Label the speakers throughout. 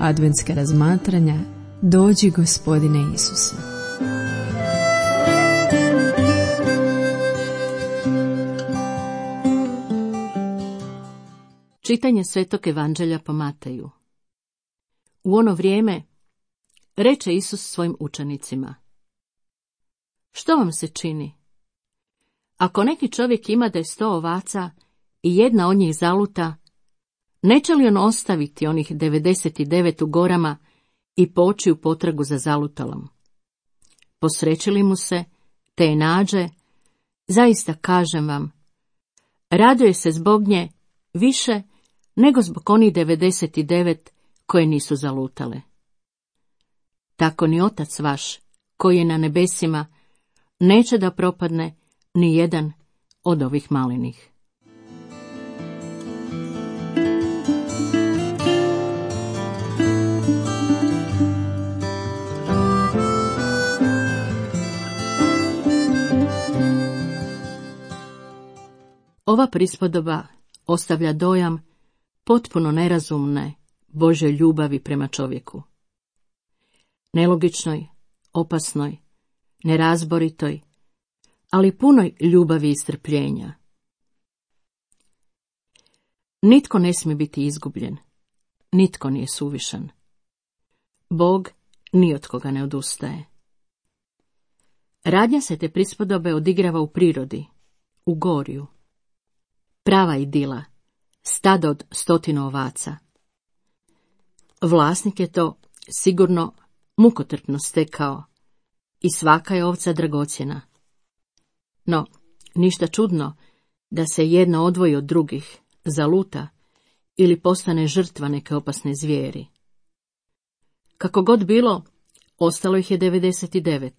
Speaker 1: adventska razmatranja Dođi Gospodine Isuse.
Speaker 2: Čitanje Svetog Evanđelja po Mateju. U ono vrijeme reče Isus svojim učenicima: Što vam se čini? Ako neki čovjek ima da je 100 ovaca i jedna od njih zaluta, neće li on ostaviti onih 99 u gorama i poći u potragu za zalutalom? Posreći li mu se, te je nađe, zaista kažem vam, raduje se zbog nje više nego zbog onih 99 koje nisu zalutale. Tako ni Otac vaš, koji je na nebesima, neće da propadne ni jedan od ovih malenih. Ova prispodoba ostavlja dojam potpuno nerazumne Božje ljubavi prema čovjeku. Nelogičnoj, opasnoj, nerazboritoj, ali punoj ljubavi i strpljenja. Nitko ne smije biti izgubljen, nitko nije suvišan. Bog ni od koga ne odustaje. Radnja se te prispodobe odigrava u prirodi, u gorju. Prava idila, stada od 100 ovaca. Vlasnik je to sigurno mukotrpno stekao i svaka je ovca dragocjena. No, ništa čudno da se jedna odvoji od drugih, zaluta ili postane žrtva neke opasne zvijeri. Kako god bilo, ostalo ih je 99.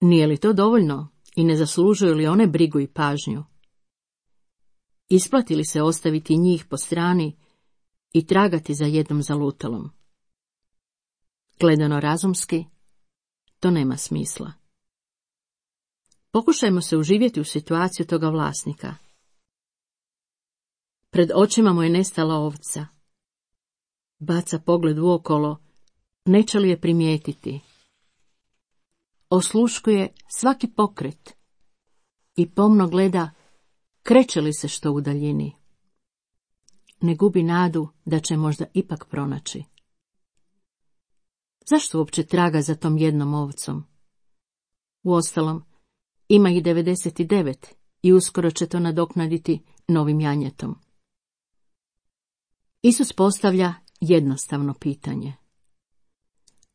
Speaker 2: Nije li to dovoljno i ne zaslužuju li one brigu i pažnju? Isplati li se ostaviti njih po strani i tragati za jednom zalutalom? Gledano razumski, to nema smisla. Pokušajmo se uživjeti u situaciju toga vlasnika. Pred očima mu je nestala ovca. Baca pogled uokolo, neće li je primijetiti. Osluškuje svaki pokret i pomno gleda kreće li se što u daljini. Ne gubi nadu da će možda ipak pronaći. Zašto uopće traga za tom jednom ovcom? Uostalom, ima ih 99 i uskoro će to nadoknaditi novim janjetom. Isus postavlja jednostavno pitanje.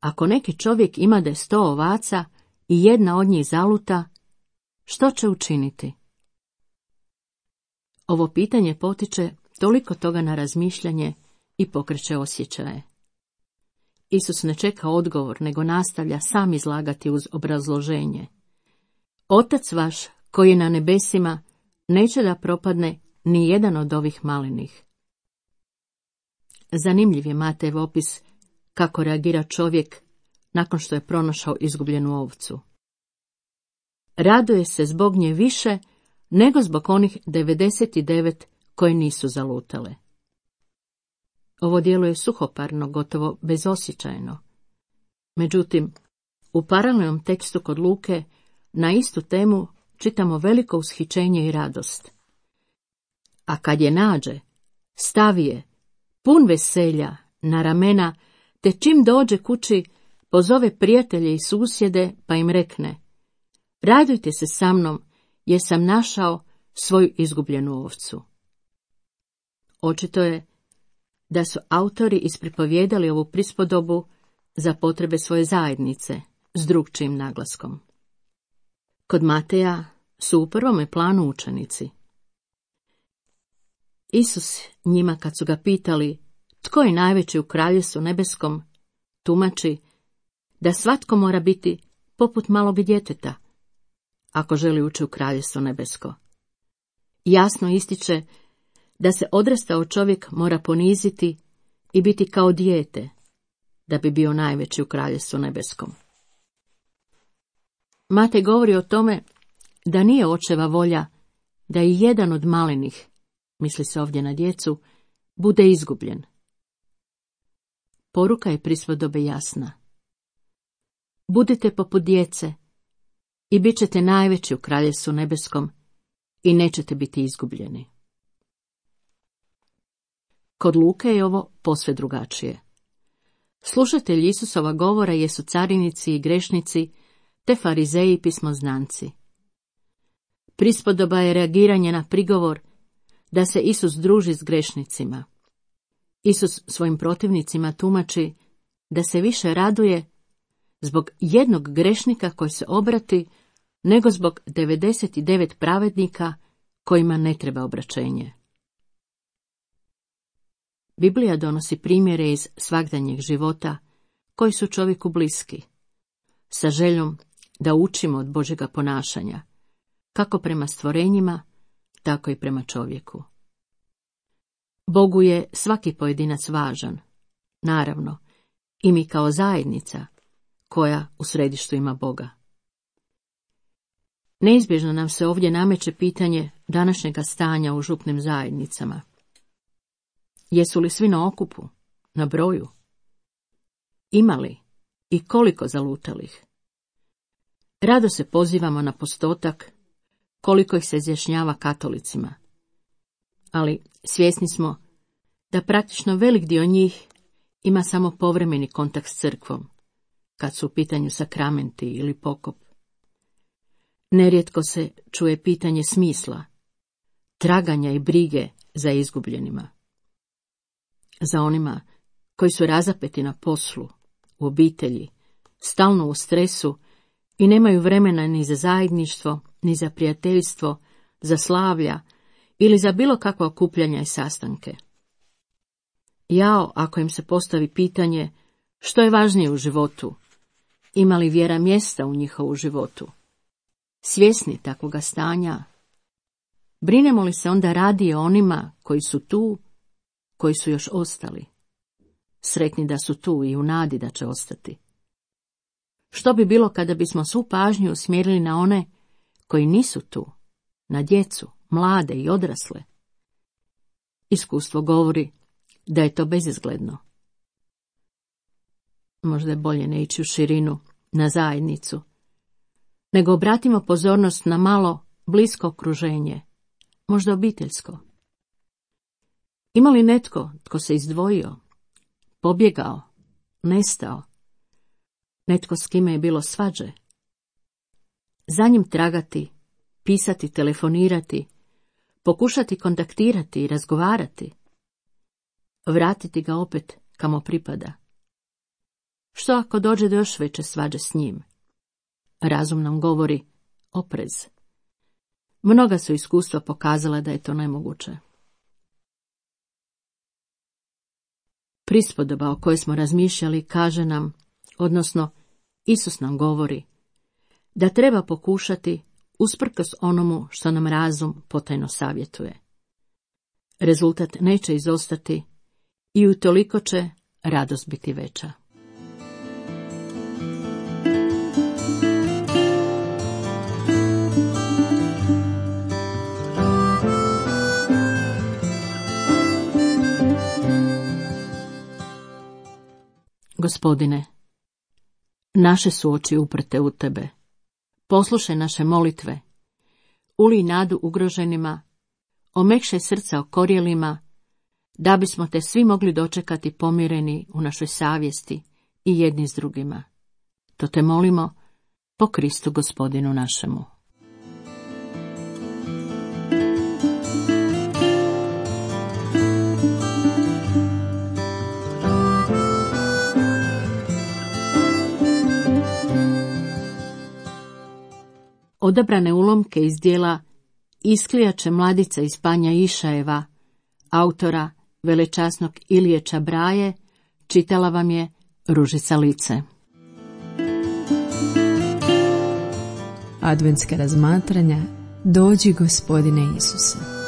Speaker 2: Ako neki čovjek ima da je 100 ovaca i jedna od njih zaluta, što će učiniti? Ovo pitanje potiče toliko toga na razmišljanje i pokreće osjećaje. Isus ne čeka odgovor, nego nastavlja sam izlagati uz obrazloženje. Otac vaš, koji je na nebesima, neće da propadne ni jedan od ovih malenih. Zanimljiv je Matejev opis kako reagira čovjek nakon što je pronašao izgubljenu ovcu. Raduje se zbog nje više nego zbog onih 99 koje nisu zalutale. Ovo djeluje suhoparno, gotovo bezosjećajno. Međutim, u paralelnom tekstu kod Luke na istu temu čitamo veliko ushićenje i radost. A kad je nađe, stavi je, pun veselja, na ramena, te čim dođe kući, pozove prijatelje i susjede pa im rekne: Radujte se sa mnom, jer sam našao svoju izgubljenu ovcu. Očito je da su autori ispripovijedali ovu prispodobu za potrebe svoje zajednice s drukčijim naglaskom. Kod Mateja su u prvome planu učenici. Isus njima, kad su ga pitali tko je najveći u kraljevstvu nebeskom, tumači da svatko mora biti poput malog djeteta ako želi ući u kraljevstvo nebesko. Jasno ističe da se odrastao čovjek mora poniziti i biti kao dijete da bi bio najveći u kraljevstvu nebeskom. Matej govori o tome da nije očeva volja da i jedan od malenih, misli se ovdje na djecu, bude izgubljen. Poruka je prispodobe jasna. Budite poput djece i bit ćete najveći u kraljevstvu nebeskom i nećete biti izgubljeni. Kod Luke je ovo posve drugačije. Slušatelji Isusova govora jesu carinici i grešnici, te farizeji i pismoznanci. Prispodoba je reagiranje na prigovor da se Isus druži s grešnicima. Isus svojim protivnicima tumači da se više raduje zbog jednog grešnika koji se obrati, nego zbog 99 pravednika kojima ne treba obraćenje. Biblija donosi primjere iz svagdanjeg života koji su čovjeku bliski, sa željom da učimo od Božjega ponašanja, kako prema stvorenjima, tako i prema čovjeku. Bogu je svaki pojedinac važan, naravno, i mi kao zajednica, koja u središtu ima Boga. Neizbježno nam se ovdje nameće pitanje današnjega stanja u župnim zajednicama. Jesu li svi na okupu, na broju? Ima li i koliko zalutalih? Rado se pozivamo na postotak koliko ih se izjašnjava katolicima, ali svjesni smo da praktično velik dio njih ima samo povremeni kontakt s crkvom, kad su u pitanju sakramenti ili pokop. Nerijetko se čuje pitanje smisla, traganja i brige za izgubljenima. Za onima koji su razapeti na poslu, u obitelji, stalno u stresu i nemaju vremena ni za zajedništvo, ni za prijateljstvo, za slavlja ili za bilo kakva okupljanja i sastanke. Jao ako im se postavi pitanje što je važnije u životu, ima li vjera mjesta u njihovu životu. Svjesni takvoga stanja, brinemo li se onda radije o onima koji su tu, koji su još ostali, sretni da su tu i u nadi da će ostati. Što bi bilo kada bismo svu pažnju usmjerili na one koji nisu tu, na djecu, mlade i odrasle? Iskustvo govori da je to bezizgledno. Možda je bolje ne ići u širinu, na zajednicu, nego obratimo pozornost na malo blisko okruženje, možda obiteljsko. Ima li netko tko se izdvojio, pobjegao, nestao, netko s kime je bilo svađe? Za njim tragati, pisati, telefonirati, pokušati kontaktirati i razgovarati, vratiti ga opet kamo pripada. Što ako dođe do još veće svađe s njim? Razum nam govori oprez. Mnoga su iskustva pokazala da je to nemoguće. Prispodoba o kojoj smo razmišljali kaže nam, odnosno Isus nam govori, da treba pokušati usprkos onomu što nam razum potajno savjetuje. Rezultat neće izostati i utoliko će radost biti veća. Gospodine, naše su oči uprte u Tebe. Poslušaj naše molitve, ulij nadu ugroženima, omekšaj srca okorjelima, da bismo Te svi mogli dočekati pomireni u našoj savjesti i jedni s drugima. To Te molimo po Kristu Gospodinu našemu. Odabrane ulomke iz djela Isklijače mladica iz Panja Išajeva, autora velečasnog Ilije Čabraje, čitala vam je Ružica Lice.
Speaker 1: Adventska razmatranja Dođi Gospodine Isuse.